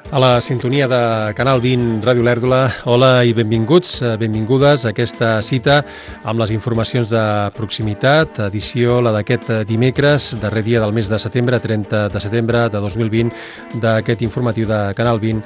A la sintonia de Canal 20 Ràdio Olèrdola, hola i benvinguts, benvingudes a aquesta cita amb les informacions de proximitat, edició la d'aquest dimecres, darrer dia del mes de setembre, 30 de setembre de 2020, d'aquest informatiu de Canal 20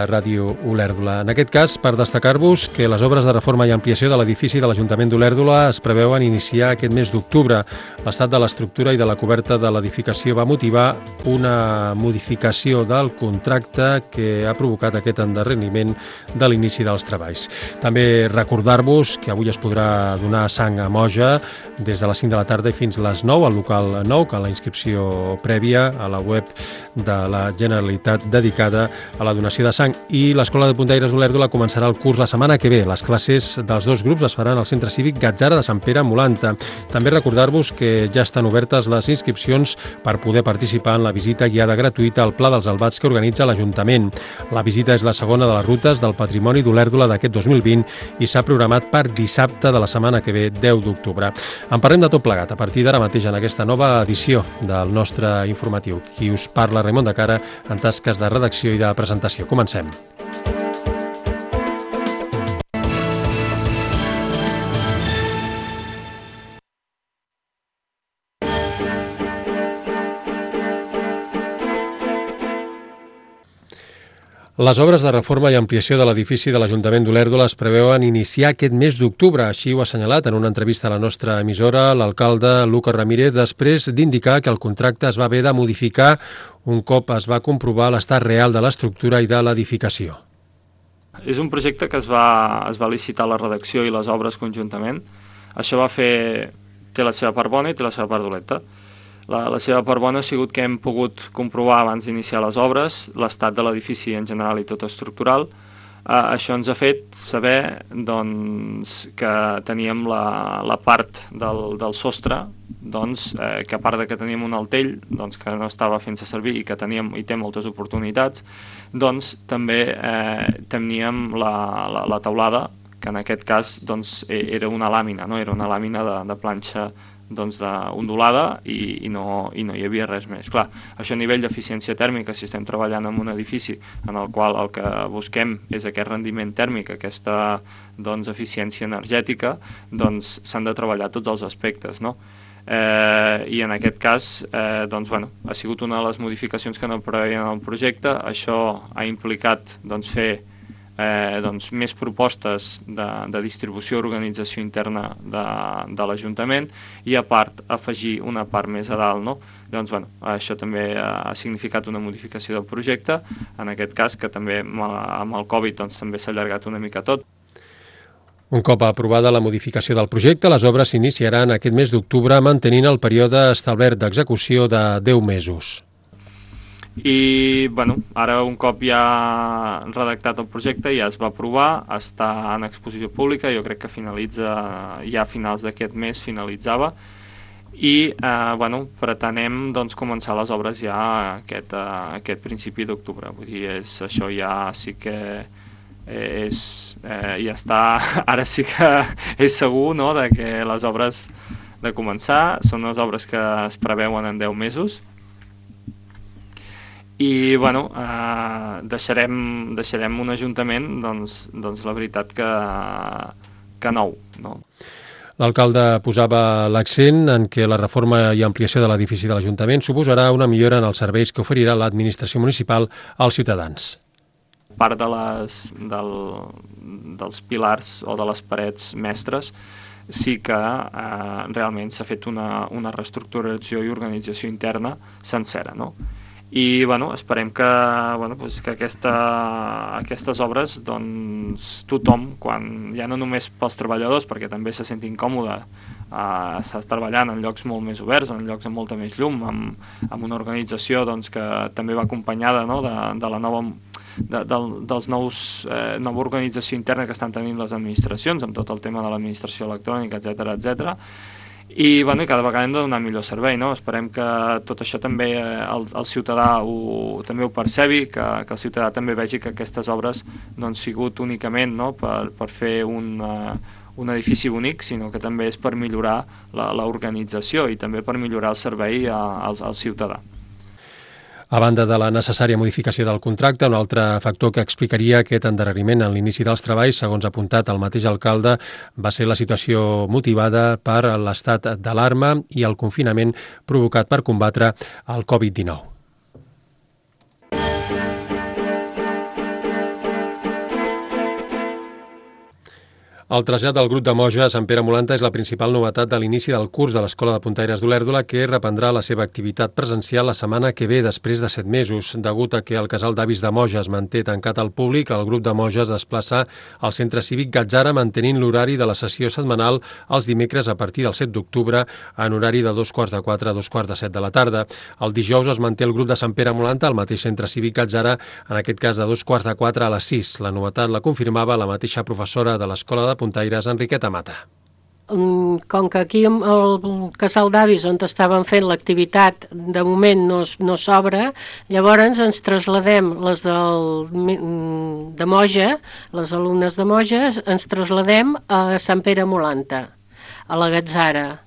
Ràdio Olèrdola. En aquest cas, per destacar-vos que les obres de reforma i ampliació de l'edifici de l'Ajuntament d'Olèrdola es preveuen iniciar aquest mes d'octubre. L'estat de l'estructura i de la coberta de l'edificació va motivar una modificació del contracte que ha provocat aquest endarreriment de l'inici dels treballs. També recordar-vos que avui es podrà donar sang a Moja des de les 5 de la tarda i fins les 9 al local 9, que la inscripció prèvia a la web de la Generalitat dedicada a la donació de sang. I l'Escola de Puntaires d'Olèrdola començarà el curs la setmana que ve. Les classes dels dos grups es faran al Centre Cívic Gatzara de Sant Pere a Molanta. També recordar-vos que ja estan obertes les inscripcions per poder participar en la visita guiada gratuïta al Pla dels Albats que organitza l'Ajuntament. La visita és la segona de les rutes del Patrimoni d'Olèrdola d'aquest 2020 i s'ha programat per dissabte de la setmana que ve, 10 d'octubre. En parlem de tot plegat a partir d'ara mateix en aquesta nova edició del nostre informatiu. Qui us parla, Raimon de Cara, en tasques de redacció i de presentació. Comencem. Les obres de reforma i ampliació de l'edifici de l'Ajuntament d'Olèrdola es preveuen iniciar aquest mes d'octubre. Així ho ha assenyalat en una entrevista a la nostra emissora l'alcalde Lucas Ramírez, després d'indicar que el contracte es va haver de modificar un cop es va comprovar l'estat real de l'estructura i de l'edificació. És un projecte que es va licitar la redacció i les obres conjuntament. Això té la seva part bona i té la seva part dolenta. La seva part bona ha sigut que hem pogut comprovar abans d'iniciar les obres l'estat de l'edifici en general i tot estructural. Això ens ha fet saber que teníem la part del sostre, que a part de que teníem un altell que no estava fent-se servir i que té moltes oportunitats, també teníem la teulada, que en aquest cas era una làmina, no? Era una làmina de planxa ondulada i no hi havia res més. Clar, això a nivell d'eficiència tèrmica, si estem treballant en un edifici en el qual el que busquem és aquest rendiment tèrmic, aquesta eficiència energètica, s'han de treballar tots els aspectes, no? I en aquest cas ha sigut una de les modificacions que no preveien en el projecte. Això ha implicat fer més propostes de distribució i organització interna de l'Ajuntament i a part afegir una part més a dalt, no? Això també ha significat una modificació del projecte, en aquest cas que també amb el Covid també s'ha allargat una mica tot. Un cop aprovada la modificació del projecte, les obres s'iniciaran aquest mes d'octubre mantenint el període establert d'execució de 10 mesos. I ara un cop ja redactat el projecte, ja es va aprovar, està en exposició pública, jo crec que finalitza ja a finals d'aquest mes, finalitzava, i pretenem començar les obres ja aquest principi d'octubre. Vull dir, això ja sí que ja està, ara sí que és segur, no?, de que les obres de començar són unes obres que es preveuen en 10 mesos. I deixarem un ajuntament la veritat que nou, no? L'alcalde posava l'accent en que la reforma i ampliació de l'edifici de l'Ajuntament suposarà una millora en els serveis que oferirà l'administració municipal als ciutadans. Part dels pilars o de les parets mestres sí que realment s'ha fet una reestructuració i organització interna sencera, no? I esperem que aquestes obres tothom, ja no només pels treballadors, perquè també se sentin còmodes, estàs treballant en llocs molt més oberts, en llocs amb molta més llum, amb una organització que també va acompanyada, no?, de la nova organització interna que estan tenint les administracions, amb tot el tema de l'administració electrònica, etcètera, i cada vegada hem de donar millor servei, no? Esperem que tot això també el ciutadà també ho percebi, que el ciutadà també vegi que aquestes obres no han sigut únicament, no?, per fer un edifici bonic, sinó que també és per millorar l'organització i també per millorar el servei al ciutadà. A banda de la necessària modificació del contracte, un altre factor que explicaria aquest endarreriment en l'inici dels treballs, segons ha apuntat el mateix alcalde, va ser la situació motivada per l'estat d'alarma i el confinament provocat per combatre el Covid-19. El trasllat del grup de Moja a Sant Pere Molanta és la principal novetat de l'inici del curs de l'Escola de Puntaires d'Olèrdola, que reprendrà la seva activitat presencial la setmana que ve, després de 7 mesos. Degut a que el casal d'avis de Moja es manté tancat al públic, el grup de Moja es desplaça al centre cívic Gatzara, mantenint l'horari de la sessió setmanal els dimecres a partir del 7 d'octubre en horari de 2:15 a 2:17 de la tarda. El dijous es manté el grup de Sant Pere Molanta al mateix centre cívic Gatzara, en aquest cas de 2:15 a les 6. La novetat la confirmava la mateixa professora de l'Escola de Puntaires, Enriqueta Mata. Com que aquí el casal d'avis on estaven fent l'activitat de moment no s'obre, llavors ens trasladem de Moja, les alumnes de Moja, ens trasladem a Sant Pere Molanta, a la Gatzara,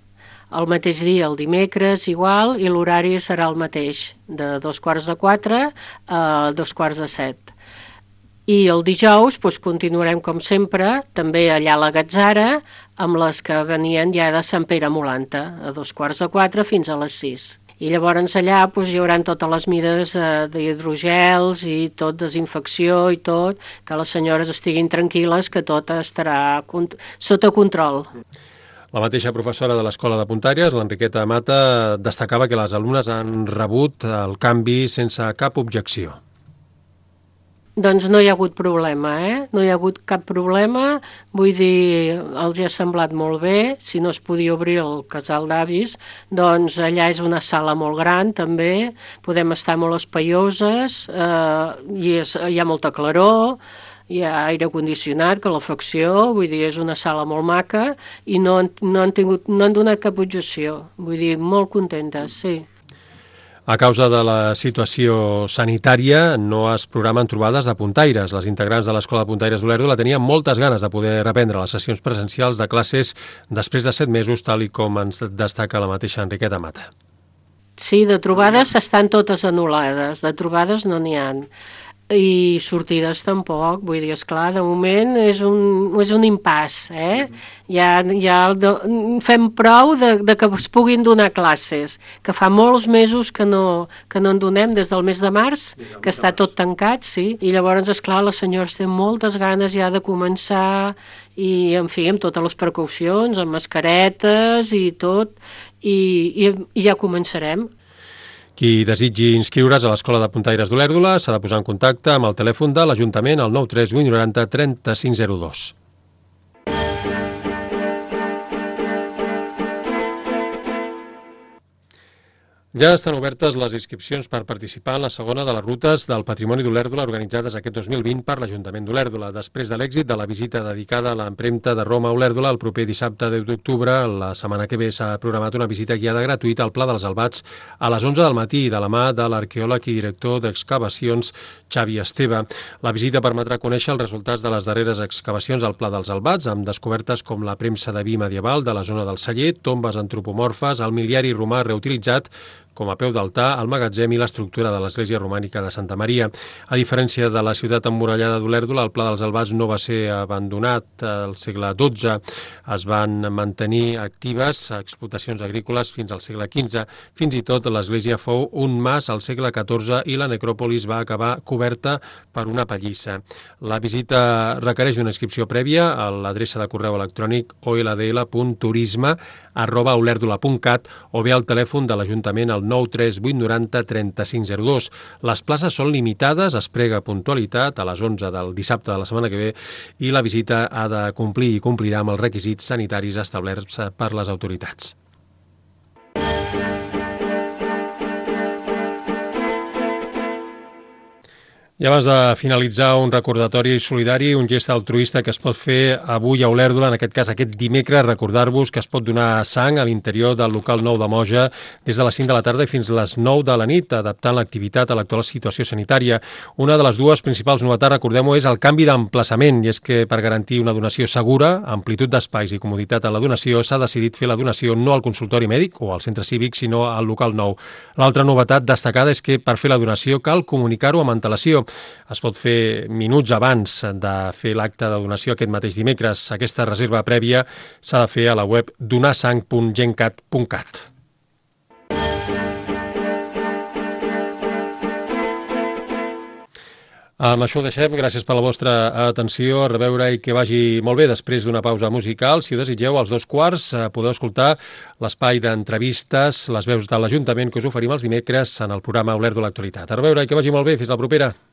el mateix dia, el dimecres, igual, i l'horari serà el mateix, de 2:15 a 2:17. I el dijous continuarem com sempre, també allà a la Gatzara, amb les que venien ja de Sant Pere Molanta, a 2:15 fins a les 6. I llavors allà hi haurà totes les mides d'hidrogels i tot, desinfecció i tot, que les senyores estiguin tranquil·les, que tot estarà sota control. La mateixa professora de l'Escola de Puntaires, l'Enriqueta Mata, destacava que les alumnes han rebut el canvi sense cap objecció. Doncs no hi ha hagut problema, No hi ha hagut cap problema, vull dir, els ha semblat molt bé. Si no es podia obrir el casal d'avis, doncs allà és una sala molt gran també, podem estar molt espaioses, hi ha molta claror, hi ha aire condicionat, calefacció, vull dir, és una sala molt maca i no han donat cap objecció, vull dir, molt contentes, sí. A causa de la situació sanitària, no es programen trobades de puntaires. Les integrants de l'Escola de Puntaires d'Olèrdola tenien moltes ganes de poder reprendre les sessions presencials de classes després de 7 mesos, tal i com ens destaca la mateixa Enriqueta Mata. Sí, de trobades estan totes anul·lades, de trobades no n'hi ha. I sortides tampoc, vull dir, esclar, de moment és un impàs, Ja fem prou de que es puguin donar classes, que fa molts mesos que no en donem, des del mes de març, que està tot tancat, sí, i llavors, esclar, les senyores tenen moltes ganes ja de començar, i, en fi, amb totes les precaucions, amb mascaretes i tot, i ja començarem. Qui desitgi inscriure's a l'Escola de Puntaires d'Olèrdola s'ha de posar en contacte amb el telèfon de l'Ajuntament al 938 90 3502. Ja estan obertes les inscripcions per participar en la segona de les rutes del Patrimoni d'Olèrdola organitzades aquest 2020 per l'Ajuntament d'Olèrdola. Després de l'èxit de la visita dedicada a l'empremta de Roma a Olèrdola, el proper dissabte 10 d'octubre, la setmana que ve, s'ha programat una visita guiada gratuïta al Pla dels Albats a les 11 del matí, de la mà de l'arqueòleg i director d'excavacions Xavi Esteve. La visita permetrà conèixer els resultats de les darreres excavacions al Pla dels Albats, amb descobertes com la premsa de vi medieval de la zona del Celler, tombes antropomorfes, el miliari romà reutilitzat com a peu d'altar, el magatzem i l'estructura de l'església romànica de Santa Maria. A diferència de la ciutat emmurallada d'Olèrdola, el Pla dels Albats no va ser abandonat al segle XII. Es van mantenir actives explotacions agrícoles fins al segle XV. Fins i tot l'església fou un mas al segle XIV i la necròpolis va acabar coberta per una pallissa. La visita requereix una inscripció prèvia a l'adreça de correu electrònic oldl.turisme@olèrdola.cat o bé al telèfon de l'Ajuntament al 938 90 3502. Les places són limitades, es prega puntualitat a les 11 del dissabte de la setmana que ve i la visita ha de complir i complirà amb els requisits sanitaris establerts per les autoritats. I abans de finalitzar, un recordatori solidari, un gest altruista que es pot fer avui a Olèrdola, en aquest cas aquest dimecres, recordar-vos que es pot donar sang a l'interior del local 9 de Moja des de les 5 de la tarda i fins les 9 de la nit, adaptant l'activitat a l'actual situació sanitària. Una de les dues principals novetats, recordem-ho, és el canvi d'emplaçament, i és que per garantir una donació segura, amplitud d'espais i comoditat en la donació, s'ha decidit fer la donació no al consultori mèdic o al centre cívic, sinó al local 9. L'altra novetat destacada és que per fer la donació cal comunicar-ho amb antelació. Es pot fer minuts abans de fer l'acte de donació aquest mateix dimecres. Aquesta reserva prèvia s'ha de fer a la web donarsang.gencat.cat. Amb això ho deixem. Gràcies per la vostra atenció. A reveure i que vagi molt bé després d'una pausa musical. Si ho desitgeu, als 2:15 podeu escoltar l'espai d'entrevistes, les veus de l'Ajuntament que us oferim els dimecres en el programa Olèrdola Actualitat. A reveure i que vagi molt bé. Fins la propera.